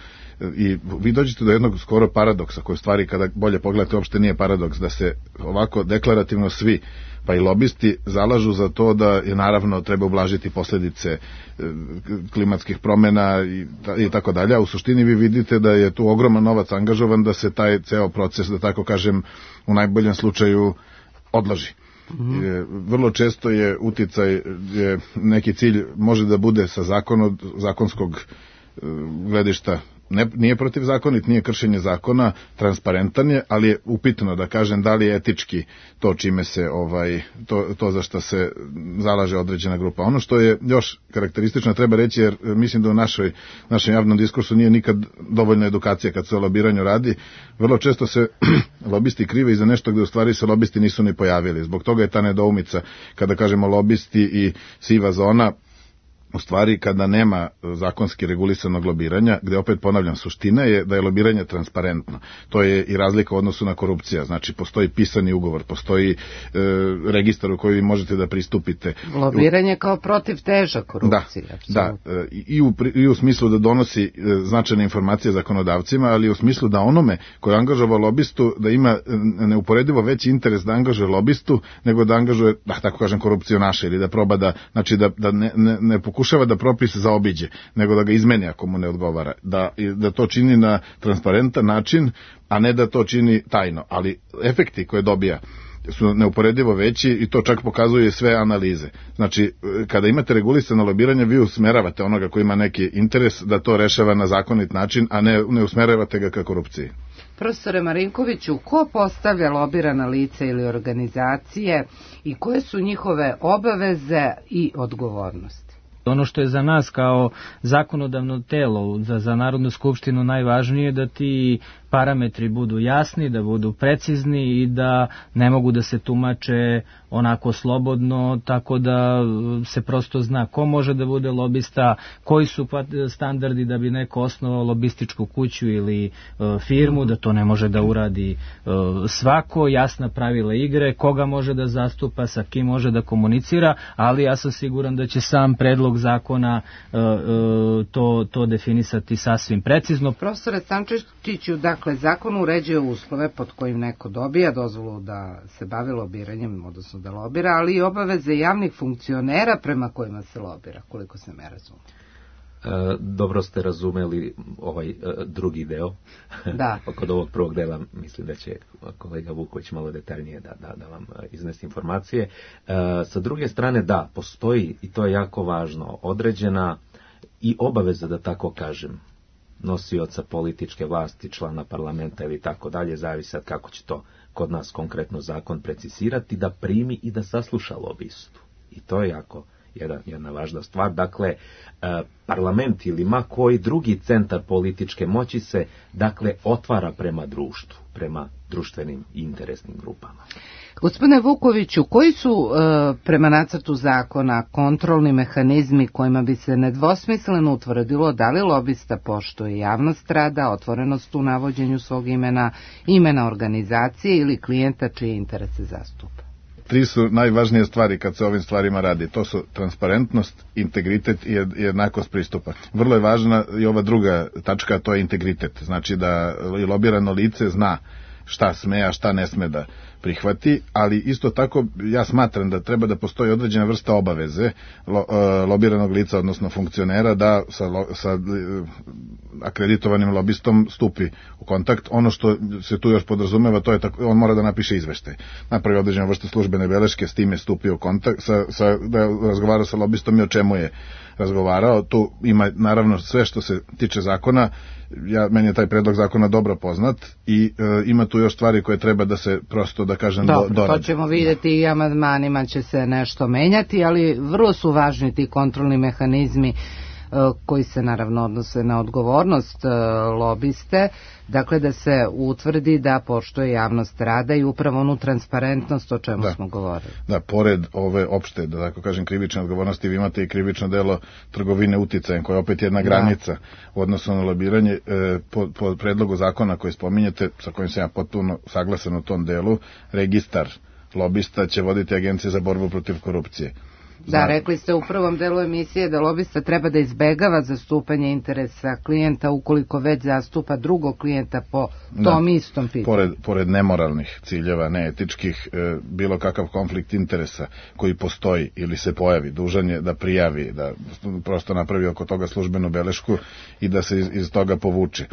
I vi dođete do jednog skoro paradoksa, koji stvari kada bolje pogledate uopšte nije paradoks, da se ovako deklarativno svi, pa i lobisti, zalažu za to da je naravno treba ublažiti posljedice klimatskih promjena i, i tako dalje, a u suštini vi vidite da je tu ogroman novac angažovan da se taj ceo proces, da tako kažem, u najboljem slučaju odloži. Mm-hmm. Je, vrlo često je uticaj, je neki cilj može da bude sa zakonom, zakonskog gledišta, ne, nije protivzakonit, nije kršenje zakona, transparentan je, ali je upitno da kažem da li je etički to čime se ovaj to, to za što se zalaže određena grupa. Ono što je još karakteristično treba reći, jer mislim da u našoj, našem javnom diskursu nije nikad dovoljna edukacija kad se o lobiranju radi. Vrlo često se lobisti krive i za nešto gde u stvari se lobisti nisu ni pojavili. Zbog toga je ta nedoumica kada kažemo lobisti i siva zona. U stvari, kada nema zakonski regulisanog lobiranja, gde opet ponavljam, suština je da je lobiranje transparentno. To je i razlika u odnosu na korupcija. Znači, postoji pisani ugovor, postoji e, registar u koji vi možete da pristupite. Lobiranje kao protiv teža korupcije. Da, da e, i, u, i u smislu da donosi e, značajne informacije zakonodavcima, ali i u smislu da onome koji je angažovao lobistu, da ima neuporedivo veći interes da angažuje lobistu, nego da angažuje, da tako kažem, korupcionaša ili da proba da, znači da, da ne, ne, ne pokušava da propis zaobiđe, nego da ga izmeni ako mu ne odgovara. Da, da to čini na transparentan način, a ne da to čini tajno. Ali efekti koje dobija su neuporedivo veći i to čak pokazuje sve analize. Znači, kada imate regulisano lobiranje, vi usmeravate onoga koji ima neki interes da to rešava na zakonit način, a ne, ne usmeravate ga ka korupciji. Profesore Marinkoviću, ko postavlja lobirana lica ili organizacije i koje su njihove obaveze i odgovornosti? Ono što je za nas kao zakonodavno telo, za, za Narodnu skupštinu najvažnije, da ti parametri budu jasni, da budu precizni i da ne mogu da se tumače onako slobodno, tako da se prosto zna ko može da bude lobista, koji su standardi da bi neko osnovao lobističku kuću ili e, firmu, da to ne može da uradi e, svako, jasna pravila igre, koga može da zastupa, sa kim može da komunicira, ali ja sam siguran da će sam predlog zakona e, e, to, to definisati sasvim precizno. Profesore Stančiću, dakle, zakon uređuje uslove pod kojim neko dobija dozvolu da se bavi lobiranjem, odnosno da lobira, ali i obaveze javnih funkcionera prema kojima se lobira, koliko se me razume. E, dobro ste razumeli ovaj e, drugi deo. Da. Kod ovog prvog dela mislim da će kolega Vuković malo detaljnije da, da, da vam iznese informacije. E, sa druge strane, da, postoji, i to je jako važno, određena i obaveza, da tako kažem, nosioca političke vlasti, člana parlamenta ili tako dalje, zavisi kako će to kod nas konkretno zakon precizirati, da primi i da sasluša lobistu. I to je jako jedna, jedna važna stvar. Dakle, parlament ili ma koji drugi centar političke moći se, dakle, otvara prema društvu, prema društvenim i interesnim grupama. Gospodine Vukoviću, koji su e, prema nacrtu zakona kontrolni mehanizmi kojima bi se nedvosmisleno utvrdilo da li lobista poštuje javnost rada, otvorenost u navođenju svog imena, imena organizacije ili klijenta čije interese zastupa? Tri su najvažnije stvari kad se ovim stvarima radi. To su transparentnost, integritet i jednakost pristupa. Vrlo je važna i ova druga tačka, to je integritet. Znači da i lobirano lice zna šta sme, a šta ne sme da prihvati, ali isto tako ja smatram da treba da postoji određena vrsta obaveze lo, uh, lobiranog lica, odnosno funkcionera, da sa, lo, sa uh, akreditovanim lobistom stupi u kontakt. Ono što se tu još podrazumeva, to je tako, on mora da napiše izveštaj. Napravi određena vrsta službene beleške, s tim je stupio u kontakt, sa, sa, da razgovara sa lobistom i o čemu je razgovarao. Tu ima naravno sve što se tiče zakona. Ja, meni je taj predlog zakona dobro poznat i e, ima tu još stvari koje treba da se prosto, da kažem, dobro, do, dorade. To ćemo vidjeti i amandmanima će se nešto menjati, ali vrlo su važni ti kontrolni mehanizmi koji se naravno odnose na odgovornost lobiste, dakle da se utvrdi da poštuje javnost rada i upravo onu transparentnost o čemu da. smo govorili. Da, pored ove opšte, da tako kažem, krivične odgovornosti, vi imate i krivično delo trgovine uticajem, koja je opet jedna granica da. u odnosu na lobiranje. E, po, po predlogu zakona koji spominjete, sa kojim sam ja potpuno saglasan u tom delu, registar lobista će voditi Agencija za borbu protiv korupcije. Zna... Da, rekli ste u prvom delu emisije da lobista treba da izbegava zastupanje interesa klijenta ukoliko već zastupa drugog klijenta po tom da. istom pitanju. Pored, pored nemoralnih ciljeva, neetičkih, e, bilo kakav konflikt interesa koji postoji ili se pojavi, dužan je da prijavi, da prosto napravi oko toga službenu belešku i da se iz, iz toga povuče.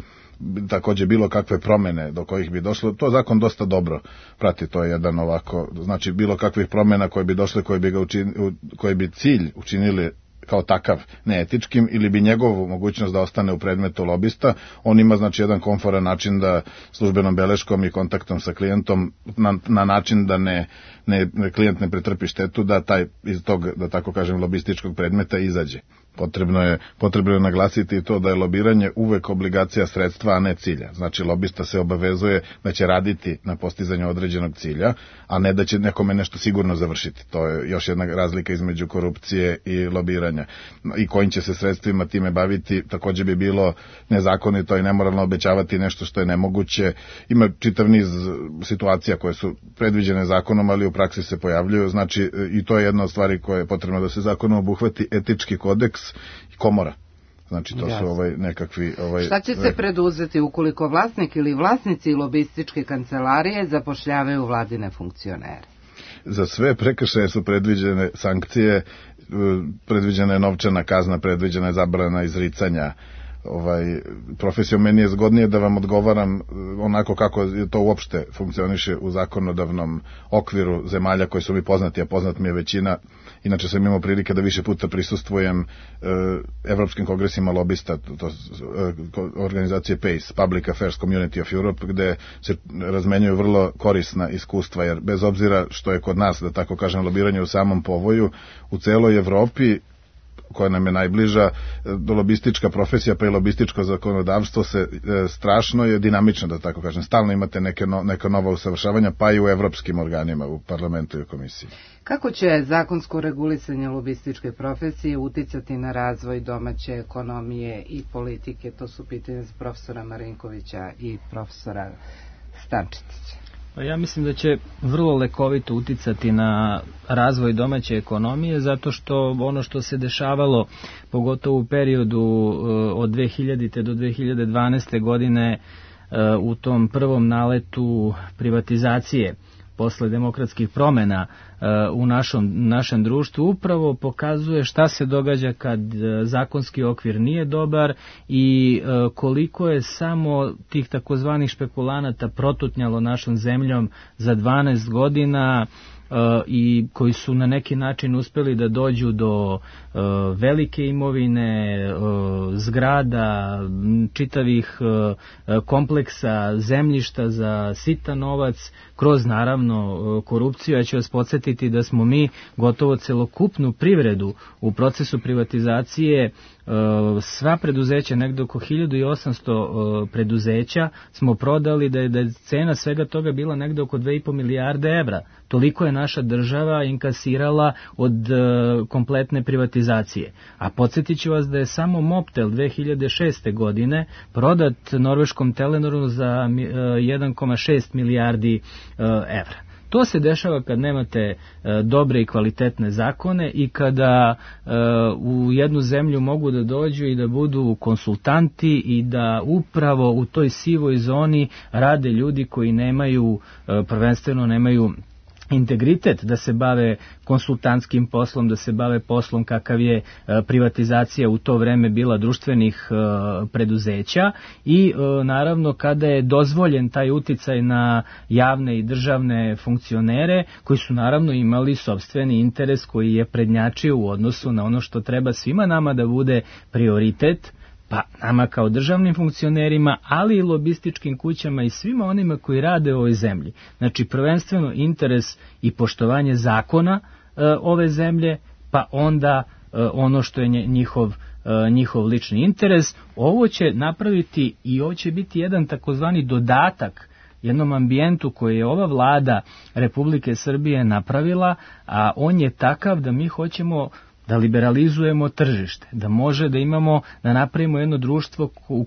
Takođe bilo kakve promene do kojih bi došlo, to zakon dosta dobro prati, to je jedan ovako, znači bilo kakvih promena koje bi došle, koje bi, ga učin, koje bi cilj učinili kao takav neetičkim ili bi njegovu mogućnost da ostane u predmetu lobista, on ima znači jedan komforan način da službenom beleškom i kontaktom sa klijentom na, na način da ne, ne, klijent ne pretrpi štetu, da taj iz tog, da tako kažem, lobističkog predmeta izađe. Potrebno je, potrebno je naglasiti to da je lobiranje uvek obligacija sredstva, a ne cilja. Znači, lobista se obavezuje da će raditi na postizanju određenog cilja, a ne da će nekome nešto sigurno završiti. To je još jedna razlika između korupcije i lobiranja. I kojim će se sredstvima time baviti, takođe bi bilo nezakonito i nemoralno obećavati nešto što je nemoguće. Ima čitav niz situacija koje su predviđene zakonom, ali u praksi se pojavljuju. Znači, i to je jedna od stvari koje je potrebno da se zakonom obuhvati, etički kodeks i komora. Znači to Jasne. su ovaj nekakvi... Ovaj, Šta će se preduzeti ukoliko vlasnik ili vlasnici lobističke kancelarije zapošljavaju vladine funkcionere? Za sve prekršaje su predviđene sankcije, predviđena je novčana kazna, predviđena je zabrana izricanja. Ovaj, profesijom meni je zgodnije da vam odgovaram onako kako to uopšte funkcioniše u zakonodavnom okviru zemalja koji su mi poznati, a poznat mi je većina. Inače sam imao prilike da više puta prisustvujem e, evropskim kongresima lobista, to, to, organizacije P A C E, Public Affairs Community of Europe, gde se razmenjuju vrlo korisna iskustva, jer bez obzira što je kod nas, da tako kažem, lobiranje u samom povoju, u celoj Evropi, koja nam je najbliža, lobistička profesija pa i lobističko zakonodavstvo se e, strašno je dinamično, da tako kažem. Stalno imate neke, no, neka nova usavršavanja, pa i u evropskim organima, u parlamentu i u komisiji. Kako će zakonsko regulisanje lobističke profesije uticati na razvoj domaće ekonomije i politike? To su pitanje za profesora Marinkovića i profesora Stančetića. Ja mislim da će vrlo lekovito uticati na razvoj domaće ekonomije, zato što ono što se dešavalo, pogotovo u periodu od dve hiljadite do dve hiljade dvanaeste. godine, u tom prvom naletu privatizacije posle demokratskih promena u našom, našem društvu, upravo pokazuje šta se događa kad zakonski okvir nije dobar i koliko je samo tih takozvanih špekulanata protutnjalo našom zemljom za dvanaest godina i koji su na neki način uspeli da dođu do uh, velike imovine, uh, zgrada, čitavih uh, kompleksa, zemljišta za sitan novac, kroz naravno uh, korupciju. Ja ću vas podsjetiti da smo mi gotovo celokupnu privredu u procesu privatizacije, uh, sva preduzeća, negde oko hiljadu osamsto uh, preduzeća smo prodali, da je, da je cena svega toga bila negde oko dve i po milijarde evra. Toliko je naša država inkasirala od uh, kompletne privatizacije. A podsjetit ću vas da je samo Mobtel dve hiljade šeste. godine prodat norveškom Telenoru za uh, jedan zarez šest milijardi uh, evra. To se dešava kad nemate e, dobre i kvalitetne zakone i kada e, u jednu zemlju mogu da dođu i da budu konsultanti i da upravo u toj sivoj zoni rade ljudi koji nemaju, e, prvenstveno nemaju integritet da se bave konsultantskim poslom, da se bave poslom kakav je privatizacija u to vreme bila društvenih preduzeća i naravno kada je dozvoljen taj uticaj na javne i državne funkcionere koji su naravno imali sopstveni interes koji je prednjačio u odnosu na ono što treba svima nama da bude prioritet, pa nama kao državnim funkcionerima, ali i lobističkim kućama i svima onima koji rade u ovoj zemlji. Znači, prvenstveno interes i poštovanje zakona e, ove zemlje, pa onda e, ono što je njihov e, njihov lični interes. Ovo će napraviti i ovo će biti jedan takozvani dodatak jednom ambijentu koji je ova vlada Republike Srbije napravila, a on je takav da mi hoćemo da liberalizujemo tržište, da može da imamo, da napravimo jedno društvo u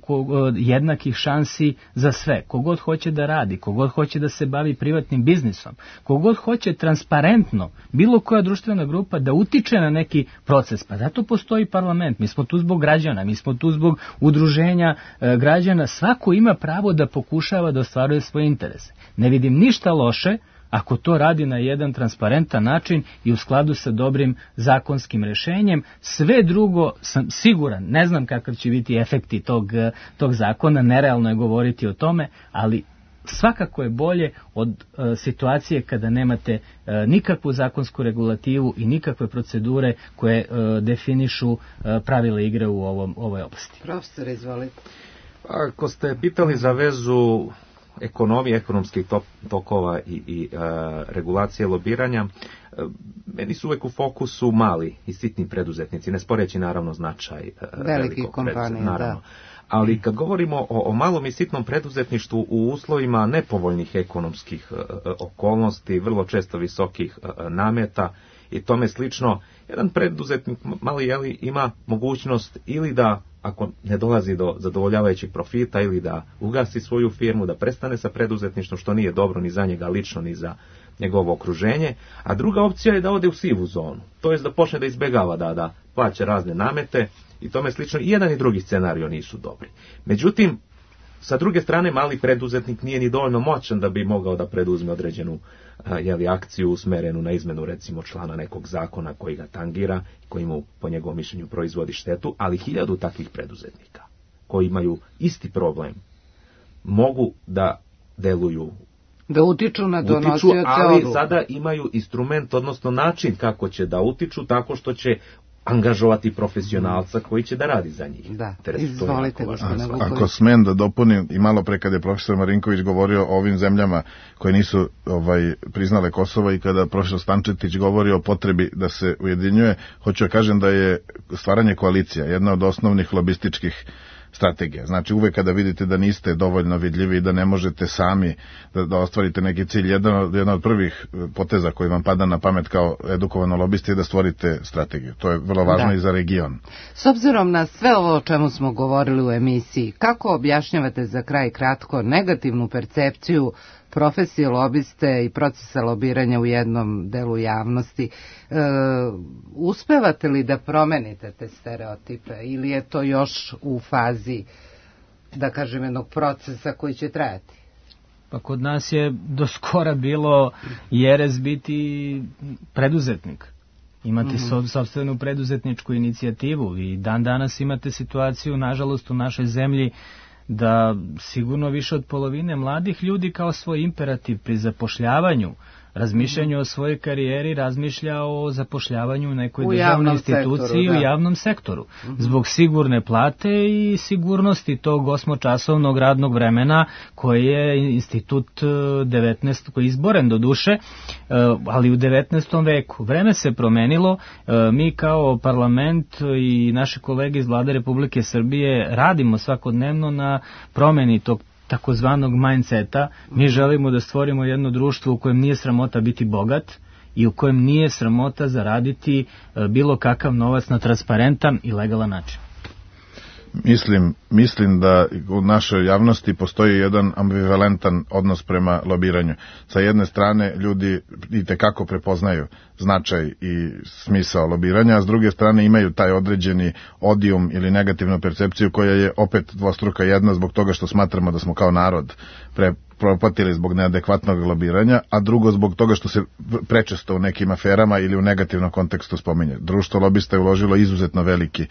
jednakih šansi za sve. Kogod hoće da radi, kogod hoće da se bavi privatnim biznisom, kogod hoće transparentno, bilo koja društvena grupa da utiče na neki proces. Pa zato postoji parlament, mi smo tu zbog građana, mi smo tu zbog udruženja e, građana, svako ima pravo da pokušava da ostvaruje svoje interese. Ne vidim ništa loše ako to radi na jedan transparentan način i u skladu sa dobrim zakonskim rešenjem. Sve drugo sam siguran, ne znam kakav će biti efekti tog, tog zakona, nerealno je govoriti o tome, ali svakako je bolje od uh, situacije kada nemate uh, nikakvu zakonsku regulativu i nikakve procedure koje uh, definišu uh, pravila igre u ovom, ovoj oblasti. Profesor, izvolite. Ako ste pitali za vezu ekonomije, ekonomskih tokova i, i e, regulacije lobiranja, e, meni su uvek u fokusu mali i sitni preduzetnici, ne sporeći naravno značaj e, velikih kompanija, naravno. Da. Ali kad govorimo o, o malom i sitnom preduzetništvu u uslovima nepovoljnih ekonomskih e, okolnosti, vrlo često visokih e, nameta i tome slično, jedan preduzetnik mali jeli, ima mogućnost ili da, ako ne dolazi do zadovoljavajućih profita, ili da ugasi svoju firmu, da prestane sa preduzetništvom, što nije dobro ni za njega lično, ni za njegovo okruženje, a druga opcija je da ode u sivu zonu, to jest da počne da izbegava da, da plaća razne namete i tome slično. I jedan i drugi scenario nisu dobri. Međutim, sa druge strane, mali preduzetnik nije ni dovoljno moćan da bi mogao da preduzme određenu jeli, akciju usmerenu na izmenu recimo člana nekog zakona koji ga tangira, koji mu po njegovom mišljenju proizvodi štetu, ali hiljadu takvih preduzetnika koji imaju isti problem mogu da deluju, da utiču na donosioce odluka, ali sada imaju instrument, odnosno način kako će da utiču, tako što će angažovati profesionalca koji će da radi za njih. Da, Teres, izvolite. Ako, ako smem da dopunim, i malo pre kada je profesor Marinković govorio o ovim zemljama koje nisu ovaj, priznale Kosovo i kada profesor Stančetić govori o potrebi da se ujedinjuje, hoću da kažem da je stvaranje koalicija jedna od osnovnih lobističkih strategija. Znači uvek kada vidite da niste dovoljno vidljivi i da ne možete sami da, da ostvarite neki cilj, jedan od, jedan od prvih poteza koji vam pada na pamet kao edukovano lobisti je da stvorite strategiju. To je vrlo važno da. I za region. S obzirom na sve ovo o čemu smo govorili u emisiji, kako objašnjavate za kraj kratko negativnu percepciju profesije lobiste i procesa lobiranja u jednom delu javnosti? E, uspevate li da promenite te stereotipe ili je to još u fazi, da kažem, jednog procesa koji će trajati? Pa kod nas je do skora bilo jeres biti preduzetnik. Imate mm-hmm. sopstvenu preduzetničku inicijativu i dan danas imate situaciju, nažalost, u našoj zemlji da sigurno više od polovine mladih ljudi kao svoj imperativ pri zapošljavanju, razmišljanju o svojoj karijeri, razmišlja o zapošljavanju u nekoj u državnoj instituciji sektoru, da. U javnom sektoru. Mm-hmm. Zbog sigurne plate i sigurnosti tog osmočasovnog radnog vremena koji je institut devetnaestog koji je izboren do duše, ali u devetnaestom veku. Vreme se promenilo, mi kao parlament i naše kolege iz Vlade Republike Srbije radimo svakodnevno na promeni tog takozvanog mindseta. Mi želimo da stvorimo jedno društvo u kojem nije sramota biti bogat i u kojem nije sramota zaraditi bilo kakav novac na transparentan i legalan način. Mislim, mislim da u našoj javnosti postoji jedan ambivalentan odnos prema lobiranju. Sa jedne strane ljudi itekako prepoznaju značaj i smisao lobiranja, a s druge strane imaju taj određeni odijum ili negativnu percepciju koja je opet dvostruka. Jedna zbog toga što smatramo da smo kao narod pre propatili zbog neadekvatnog lobiranja, a drugo zbog toga što se prečesto u nekim aferama ili u negativnom kontekstu spominje. Društvo lobista je uložilo izuzetno veliki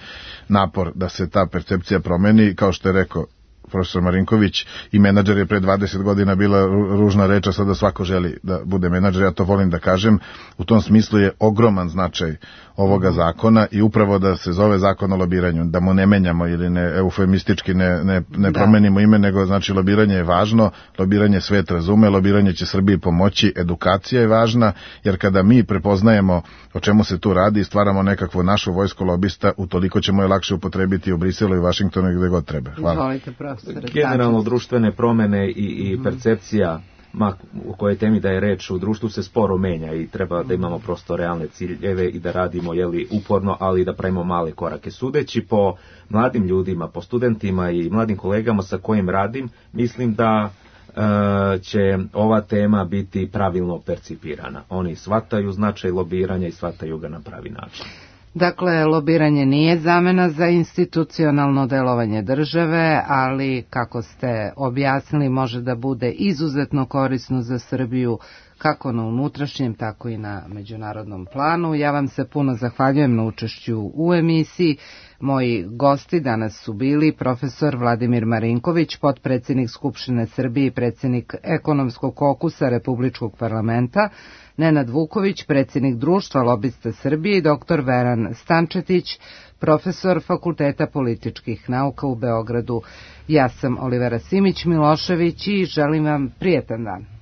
napor da se ta percepcija promeni, kao što je rekao profesor Marinković, i menadžer je pre dvadeset godina bila ružna reč, a sada svako želi da bude menadžer, ja to volim da kažem. U tom smislu je ogroman značaj ovoga zakona i upravo da se zove zakon o lobiranju, da mu ne menjamo ili ne eufemistički ne, ne, ne promenimo ime, nego znači lobiranje je važno, lobiranje svet razume, lobiranje će Srbiji pomoći, edukacija je važna, jer kada mi prepoznajemo o čemu se tu radi i stvaramo nekakvu našu vojsku lobista, utoliko ćemo je lakše upotrebiti u Briselu i Vašingtonu i gde god treba. Hvala. Izvolite, profesore. Generalno društvene promene i, i percepcija ma u kojoj temi da je reč u društvu se sporo menja i treba da imamo prosto realne ciljeve i da radimo jeli, uporno, ali da pravimo male korake. Sudeći po mladim ljudima, po studentima i mladim kolegama sa kojim radim, mislim da e, će ova tema biti pravilno percipirana. Oni shvataju značaj lobiranja i shvataju ga na pravi način. Dakle, lobiranje nije zamena za institucionalno delovanje države, ali, kako ste objasnili, može da bude izuzetno korisno za Srbiju, kako na unutrašnjem, tako i na međunarodnom planu. Ja vam se puno zahvaljujem na učešću u emisiji. Moji gosti danas su bili profesor Vladimir Marinković, potpredsednik Skupštine Srbije i predsednik Ekonomskog kokusa Republičkog parlamenta, Nenad Vuković, predsjednik Društva lobista Srbije, i doktor Veran Stančetić, profesor Fakulteta političkih nauka u Beogradu. Ja sam Olivera Simić Milošević i želim vam prijetan dan.